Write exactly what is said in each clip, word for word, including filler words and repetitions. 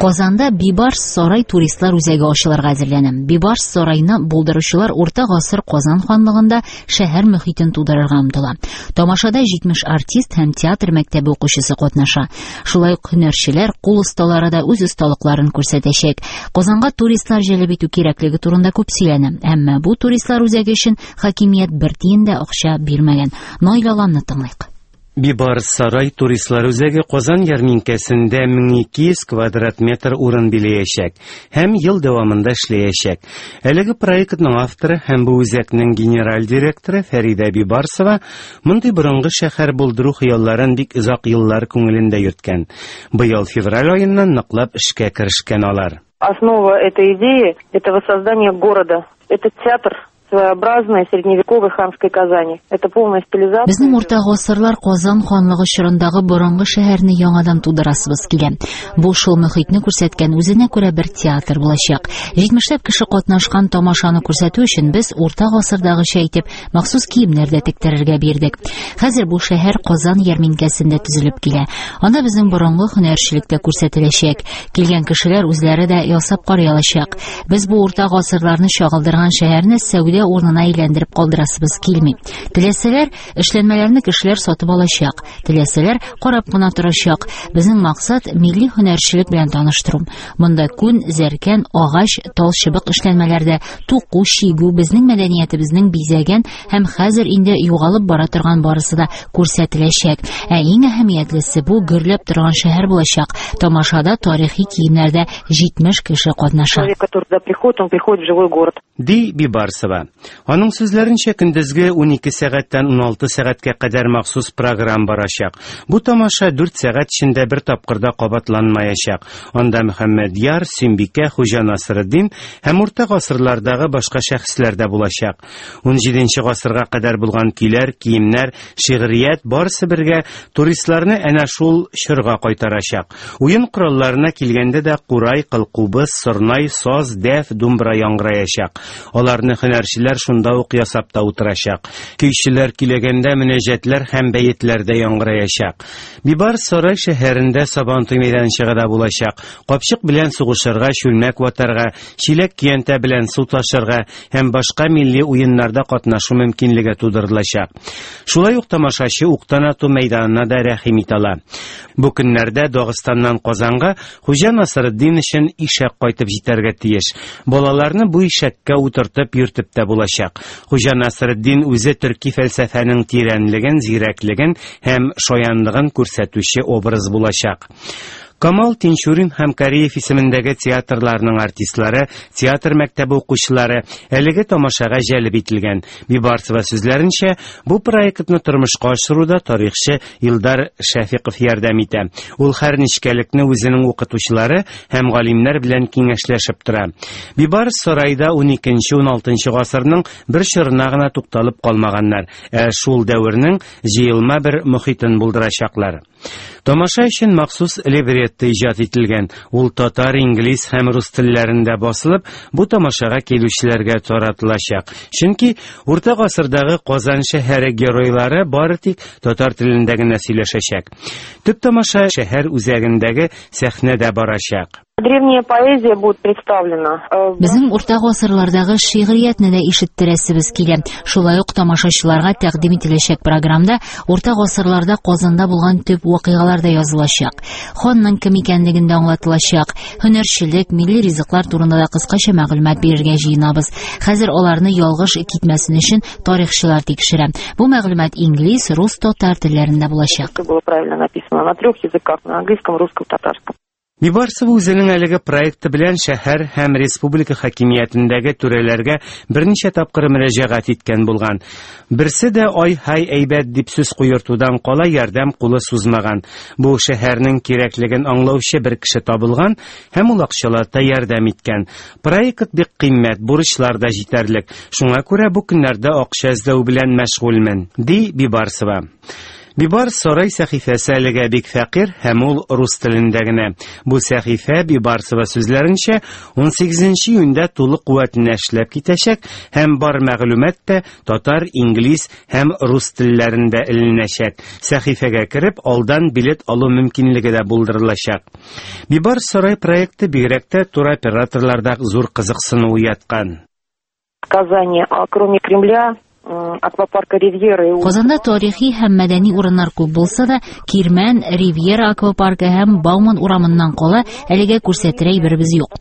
Казанда Бибарс сарай туристлар үзәге ачылырга әзерләнә. Бибарс сарайны булдыручылар урта гасыр Казан ханлыгында шәһәр мөхитен тудырырга омтыла. Тамашада җитмеш артист һәм театр мәктәбе укучысы катнаша. Шулай ук һөнәрчеләр, кул осталары да үз осталыкларын күрсәтәчәк. Казанга туристлар җәлеп итү кирәклеге турында күп сөйләнә. Әмма бу туристлар үзәге өчен хакимият бер тиен дә акча бирмәгән. Наил Аланны тыңлыйк. Бибарс сарай туристлар үзәге Казан ярминкәсендә мең ике йөз квадрат метр урын биләячәк һәм ел дәвамында эшләячәк. Әлеге проектның авторы һәм бу үзәкнең генераль директоры Фәридә Бибарсова мондый борынгы шәһәр булдыру хыялларын бик озак еллар күңелендә йөрткән. Быел февраль аеннан ныклап эшкә керешкән алар. Основа этой идеи – это воссоздание города. Это театр своеобразной средневековой ханской Казани. Это полная стилизация. Безнең урта гасырлар Казан ханлыгы чорындагы борынгы шәһәрне яңадан тудырасыбыз килә. Бу шул мөхитне күрсәткән үзенә күрә бер театр булачак. Җитмешләп кеше катнашкан тамашаны күрсәтү өчен без урта гасырдагыча итеп махсус киемнәр дә тектерергә бирдек. Хәзер бу шәһәр Казан ярминкәсендә төзелеп килә. Анда безнең борынгы һөнәрчелек тә күрсәтеләчәк. Килгән кешеләр үзләре дә ясап карый алачак. Без бу урта гасырларны чагылдырган шәһәрне сәүдә урынына әйләндереп калдырасыбыз килми. Теләсәләр, эшләнмәләрне кешеләр сатып алачак. Теләсәләр, карап кына торачак. Безнең максат милли һөнәрчелек белән таныштыру. Монда күн, зәркән, агач, тал чыбык эшләнмәләрдә туку, чигү безнең мәдәниятебезнең бизәгән һәм хәзер инде югалып бара торган барысы да күрсәтеләчәк. Ә иң әһәмиятлесе бу гөрләп торган шәһәр булачак. Тамашада тарихи киемнәрдә җитмеш кеше катнаша. Человек, который туда приходит, он приходит в живой город. Ди Бибарсова. Аның сүзләренчә, көндезге ун ике сәгатьтән ун алты сәгатькә кадәр махсус программ барачак. Бу тамаша дүрт сәгать эчендә бер тапкырда кабатланмаячак. Анда Мөхәммәдьяр, Сөембикә, Хуҗа Насретдин һәм урта гасырлардагы башка шәхесләр дә булачак. Ун җиденче гасырга кадәр булган көйләр, киемнәр, шигърият барысы бергә туристларны әнә шул чорга кайтарачак. Уен коралларына килгәндә дә курай, кылкубыз, сорнай, саз, дәф, думбра яңгыраячак. Аларны һөнәрчеләр шунда ук ясап та утырачак. Көйчеләр килгәндә мөнәҗәтләр һәм бәетләр дә яңгыраячак. Бибарс сарай шәһәрендә Сабантуй мәйданчыгы да булачак. Капчык белән сугышырга, чүлмәк ватарга, чиләк көянтә белән су ташырга һәм башка милли уеннарда катнашу мөмкинлеге тудырылачак. Шулай ук тамашачы уктан ату мәйданына да рәхим итә ала. Бу көннәрдә Дагыстаннан Казанга Хуҗа Насретдин өчен ишәк кайтып җитәргә тиеш. Балаларны бу ишәккә утыртып йөртеп тә булачак. Хуҗа Насретдин үзе төрки фәлсәфәнең тирәнлеген, зирәклеген һәм шаянлыгын күрсәтүче образ булачак. Камал Тинчурин һәм Кариев исемендәге театрларның артистлары, театр мәктәбе укучылары әлеге тамашага җәлеп ителгән. Бибарсова сүзләренчә, бу проектны тормышка ашыруда тарихчы Илдар Шәфиков ярдәм итә. Ул һәр нечкәлекне үзенең укытучылары һәм галимнәр белән киңәшләшеп тора. Бибарс сарайда ун икенче, ун алтынчы гасырның бер чорына гына тукталып калмаганнар, ә шул дәвернең җыелма бер мохитен булдырачаклар. Тамаша өчен махсус либретто иҗат ителгән. Ул татар, инглиз һәм рус телләрендә басылып, бу тамашага килүчеләргә таратылачак. Чөнки урта гасырдагы Казан шәһәре геройлары бары тик татар телендә генә сөйләшәчәк. Төп тамаша шәһәр үзәгендәге сәхнәдә барачак. Древняя поэзия будет представлена. Безнең урта гасырлардагы шигъриятне дә ишеттерәсебез килә. Шулай ук тамашачыларга тәкъдим ителәчәк программда урта гасырларда Казанда булган төп вакыйгалар да язылачак. Ханның кем икәнлеген дә аңлатылачак. Һөнәрчелек, милли ризыклар турында да кыскача мәгълүмат бирергә җыенабыз. Хәзер аларны ялгыш китмәсен өчен тарихчылар тикшерә. Бу мәгълүмат инглиз, рус, татар телләрендә булачак. Было правильно написано на трех языках: на английском, русском, татарском. Бибарсова үзенең әлеге проекты белән шәһәр һәм республика хакимиятендәге түрәләргә берничә тапкыр мөрәҗәгать иткән булган. Берсе дә ай-һай әйбәт дип сүз куертудан кала ярдәм кулы сузмаган. Бу шәһәрнең кирәклеген аңлаучы бер кеше табылган һәм ул акчалата ярдәм иткән. Проект бик кыйммәт, бурычлар да җитәрлек. Шуңа күрә бу көннәрдә акча эзләү белән мәшгульмен, ди Бибарсова. Бибарс сарай сәхифәсе әлегә бик фәкыйрь һәм ул рус телендә генә. Бу сәхифә Бибарсова сүзләренчә унсигезенче июньдә тулы куәтенә эшләп китәчәк һәм бар мәгълүмат та татар, инглиз һәм рус телләрендә эленәчәк. Сәхифәгә кереп алдан билет алу мөмкинлеге дә булдырылачак. Бибарс сарай проекты бигрәк тә туроператорларда зур кызыксыну уяткан. Казани, а кроме Кремля, аквапарка Ривьера. Казанда тарихи һәм мәдәни урыннар күп булса да, Кирмән, Ривьера аквапаркы һәм Бауман урамыннан кала әлегә күрсәтер әйберебез юк.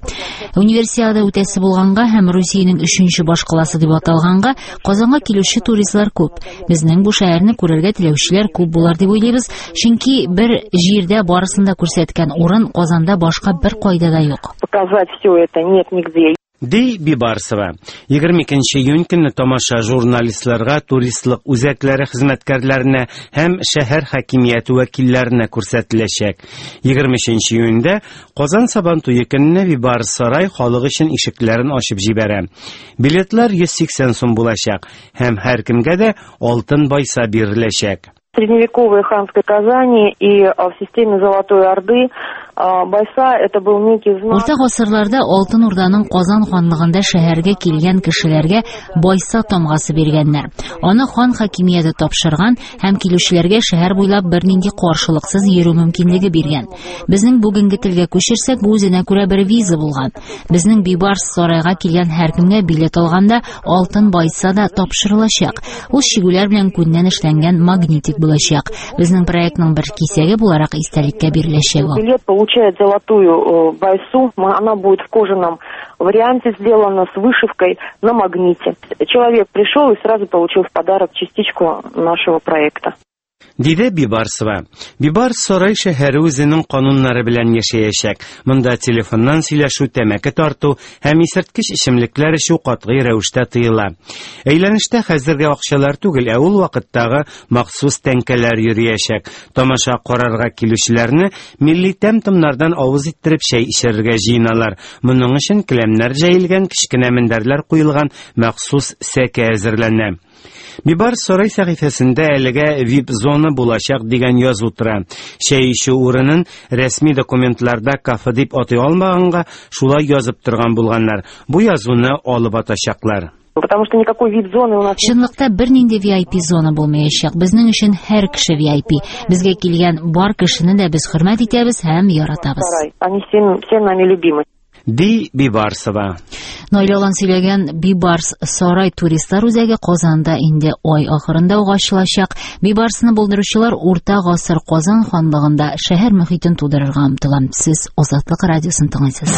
Универсиада үтәсе булганга һәм Русиянең өченче башкаласы дип аталганга, Казанга килүче туристлар күп. Безнең бу шәһәрне күрергә теләүчеләр күп булар дип уйлыйбыз, чөнки бер җирдә барысын да күрсәткән урын Казанда башка бер кайда да юк. Показать все это нет нигде. Ди Бибарсова. Егерме икенче июнь көнне тамаша журналистларга, туристлык үзәкләре хезмәткәрләренә һәм шәһәр хакимияте вәкилләренә күрсәтеләчәк. Егерме өченче июньдә Казан Сабан туе көнне Бибарс сарай халык өчен ишекләрен ачып җибәрә. Билетлар йөз сиксән сум булачак һәм һәркемгә дә алтын байса биреләчәк. Средневековой ханской Казани и в системе Золотой Орды байса это был некий знак. Урта гасырларда Алтын Урданың Казан ханлыгында шәһәргә килгән кешеләргә байса тамгасы биргәннәр. Аны хан хакимияте тапшырган һәм килүчеләргә шәһәр буйлап бернинди каршылыксыз йөрү мөмкинлеге биргән. Безнең бүгенге телгә күчерсәк, бу үзенә күрә бер виза булган. Безнең Бибарс сарайга килгән һәркемгә билет алганда алтын байса да тапшырылачак. Ул чигүләр белән күннән эшләнгән магнитик булачак. Безнең проектның бер кисәге буларак истәлеккә биреләчәк ул. Билет получает золотую байсу, она будет в кожаном варианте сделана с вышивкой на магните. Человек пришел и сразу получил в подарок частичку нашего проекта. Диде Бибарсова. Бибарс сарай шәһәре үзенең кануннары белән яшәячәк. Монда телефоннан сөйләшү, тәмәке тарту һәм исерткеч эчемлекләр эчү катгый рәвештә тыела. Әйләнештә хәзерге акчалар түгел, ә ул вакыттагы махсус тәңкәләр йөриячәк. Тамаша карарга килүчеләрне милли тәм-томнардан авыз иттереп чәй эчәргә җыеналар. Моның өчен келәмнәр җәелгән, кечкенә мендәрләр куелган махсус сәке әзерләнә. Бибарс сарай сәхифәсендә әлегә вип-зона булачак дигән язу тора. Чәй эчү урынын рәсми документларда кафе дип атый алмаганга шулай язып торган булганнар. Бу язуны алып атачаклар. Потому что никакой вип-зоны у нас... Чынлыкта бернинди ви ай пи зона булмаячак. Безнең өчен һәр кеше ви ай пи. Безгә килгән бар кешене дә без хөрмәт итәбез һәм яратабыз. Они все, все нами любимы. Ди Бибарсова. Наилә Алан сөйләгән Бибарс сарай туристлар үзәге Казанда инде ай ахырында ук ачылачак. Бибарсны булдыручылар Урта гасыр Казан ханлыгында шәһәр мөхитен тудырырга омтыла. Сез Азатлык радиосын тыңлыйсыз.